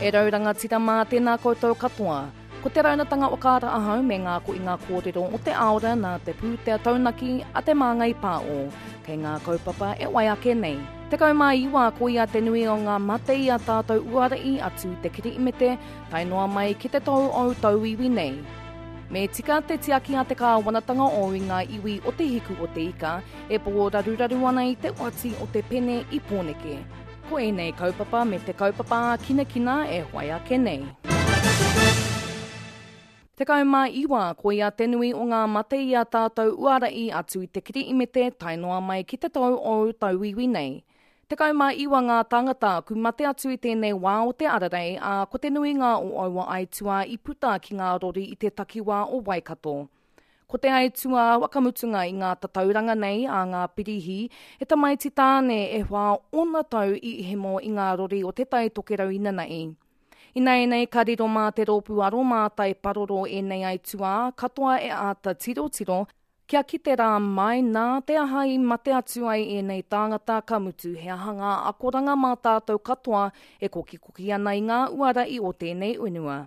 E rau rangatira mā tēnā koutou katoa. Ko te raunatanga o Kāra Ahau me ngā koinga kōrero o te aora nā te pūtea taunaki a Te Māngai Pāo. Kei ngā kaupapa e wai ake nei. 19 koia te nui o ngā mate i a tātou uara i atu i te Kirihimete tae noa mai ki te tou ou tauiwi nei. Me tika te tiaki a te kāwanatanga o i ngā iwi o Te Hiku o Te Ika e pōraruraru ana i te oati o te pene i Pōneke. Ko ēnei kaupapa me te kaupapa ākinakina e whai ake nei. 19, koia te nui o ngā mate i a tātou uara i atu i te Kirihimete tae noa mai ki te tou ou tauiwi nei. 19 ngā tāngata ku mate atu i tēnei wā o te ararei, ā, ko te nuinga o aua aituā i puta ki ngā rori i te takiwā o Waikato. Ko te aituā whakamutunga i ngā tatauranga nei a ngā pirihi, he tamaiti tāne e whā ōna tau i hemo i ngā rori o Te Tai Tokerau inanahi. Ināianei ka riro mā te rōpū aromātai paroro ēnei aituā katoa e āta tirotiro, Kia kite rā mai nā te aha i mate atu ai ēnei tāngata ka mutu he aha ngā akoranga mā tātou katoa e kokikoki ana i ngā uara i o tēnei whenua.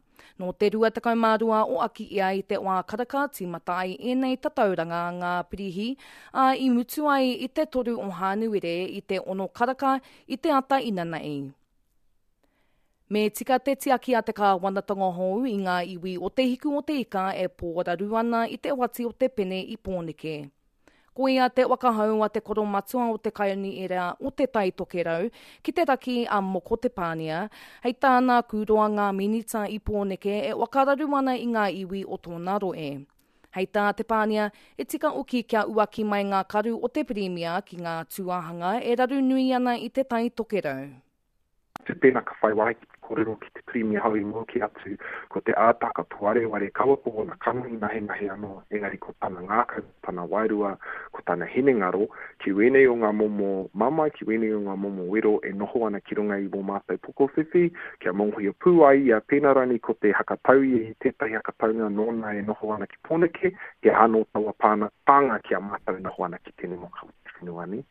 Nō te 22 o Akiia i te wā karaka tīmata ai ēnei tatauranga ngā pirihi, ā, i mutu ai i te 3 o Hānuere i te ono karaka i te ata inanahi. Me tika te tiaki a te kāwanatanga hou i ngā iwi o Te Hiku o Te Ika e pōraru ana i te oati o te pene i Pōneke. Koia te whakahau a te koromatua o te Kaunihera o Te Tai Tokerau ki te raki a Moko Te Pānia, hei tāna kūroa ngā minita i Pōneke e whakararu ana i ngā iwi o tōna rohe. Hei tā Te Pānia, e tika oki kia uaki mai ngā karu o te Pirimia ki ngā tūāhanga e raru nui ana i Te Tai Tokerau. Atu pēnā ka whai wāhi ki te kōrero ki te Pirimia hou i mua kē atu, ko te ātaka tōwareware kaua ko ōna kanohi nahenahe anō, engari ko tana ngākau, ko tana wairua, ko tana hinengaro, ki wēnei o ngā momo mamae, ki wēnei o ngā momo wero e noho ana ki runga i wō mātou pokowhiwhi, kia mōhio pū ai ia, pēnā rānei ko te hakatau ia i tētahi hakataunga nōna e noho ana ki Pōneke, he aha anō taua pānga ki a mātou e noho ana ki tēnei moka o te whenua nei.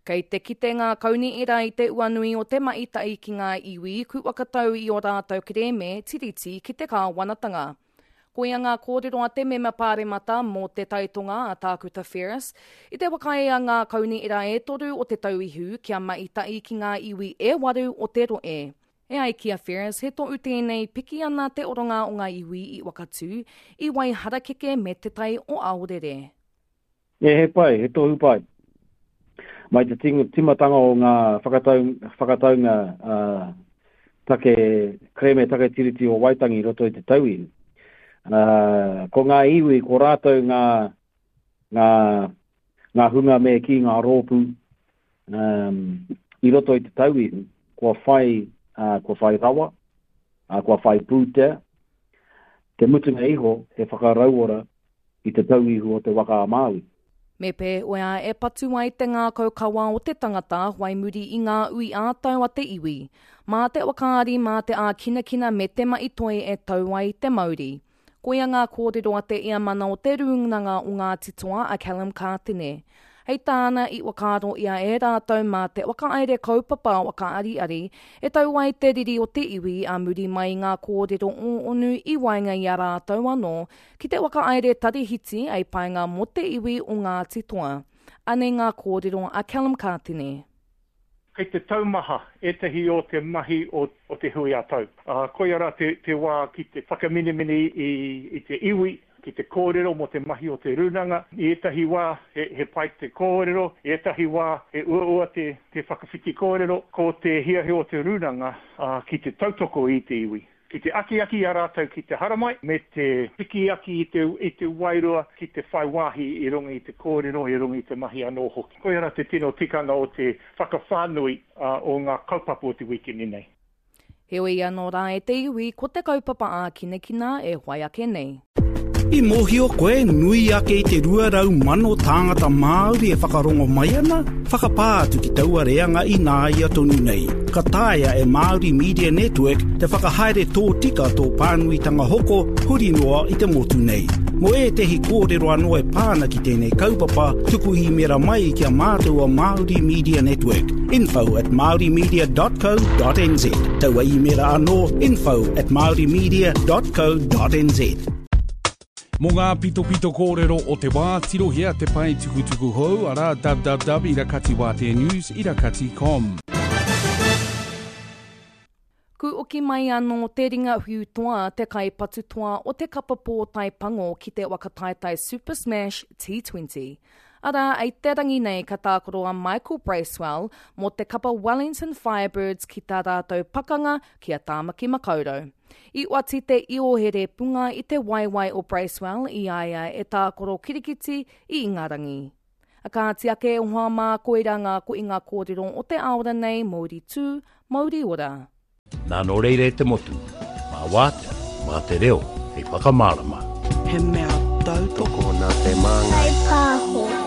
Kei te kite ngā kaunihera i te uanui o te mahi tahi ki ngā iwi ku whakatau i ō rātou kerēme Tiriti ki te kāwanatanga. Koia ngā kōrero a te Mema Pāremata mō Te Tai Tonga a Tākuta Ferris i te whakaae a ngā kaunihera e toru o Te Tauihu kia mahi tahi ki ngā iwi e waru o te rohe. E ai ki a Ferris, he tohu tēnei piki ana te oronga o ngā iwi i Wakatū, i Waiharakeke me Te Tai o Aorere. E, he pai, he tohu pai. Mai te timatanga o ngā whakatau, whakataunga uh, take, kerēme take tiriti o Waitangi i roto i te tauihu. Uh, ko ngā iwi, ko rātou ngā, ngā, ngā hunga me kī ngā rōpū um, i roto i te tauihu, kua whai, uh, kua whai rawa, uh, kua whai pūtea. Te mutunga iho, he whakarauora i te tauihu o te waka a Māui. Me pēwhea e patu ai te ngākau kawa o te tangata whai muri i ngā ui ā-tau a te iwi? Mā te whakaari, mā te ākinakina me te mahi toi e tau ai te mauri. Koia ngā kōrero a te Eamana o Te Rūnanga o Ngāti Toa a Callum Kātene. Hei tāna, i whakaaro ia e rātou mā te whakahaere kaupapa whakaariari e tau ai te riri o te iwi ā muri mai i ngā kōrero ōonu i waenga i a rātou anō ki te whakahaere tarihiti hei painga mō te iwi o Ngāti Toa. Anei ngā kōrero a Callum Kātene. Kei te taumaha ētahi o te mahi o te hui ā-tau. Ā, koia rā te, te wā ki te whakaminemine i, i te iwi, ki te kōrero mō te mahi o te rūnanga. I ētahi wā he, he pai te kōrero, i ētahi wā he uaua te, te whakawhiti kōrero. Ko te hiahia o te rūnanga, ā, ki te tautoko i te iwi. Ki te akiaki i a rātou ki te haramai, me te piki aki i te, i te wairua ki te whai wāhi i runga i te kōrero, i runga i te mahi anō hoki. Koia rā te tino tikanga o te whakawhānui o ngā kaupapa o te wīkeni nei. Heoi anō rā e te iwi, ko te kaupapa ākinakina e whai ake nei. I mōhio koe nui ake i te 200,000 tāngata Māori e whakarongo mai ana? Whakapā atu ki taua reanga ināia tonu nei. Ka taea e Māori Media Network te whakahaere tōtika tō pānuitanga hoko huri noa i te motu nei. Mō ētehi kōrero anō e pā ana ki tēnei kaupapa, tuku īmēra mai ki a mātou o Māori Media Network, info at māorimedia.co.nz. Taua īmēra anō, info at māorimedia.co.nz. Mō ngā pitopito kōrero o te wā, tirohia te pae tukutuku hou, arā, www irakatiwāteanews irakati com. Ku oki mai anō te ringa whiu toa, te kaipatu toa o te kapa pōtae pango ki te waka taetae Super Smash T20. Arā, i te rangi nei ka tākaro a Michael Bracewell mō te kapa Wellington Firebirds ki tā rātou pakanga ki a Tāmaki Makaurau. I oati te iohere punga i te waewae o Bracewell i a ia e tākaro kirikiti i Ingarangi. A kāti ake e hoa mā, koirā ngā koinga kōrero o te aora nei, mouri tū, mouri ora. Nā nō reira e te motu, mā Wātea, mā te reo hei whakamārama. He mea tautoko. Tokona te māngai. Kaipāho.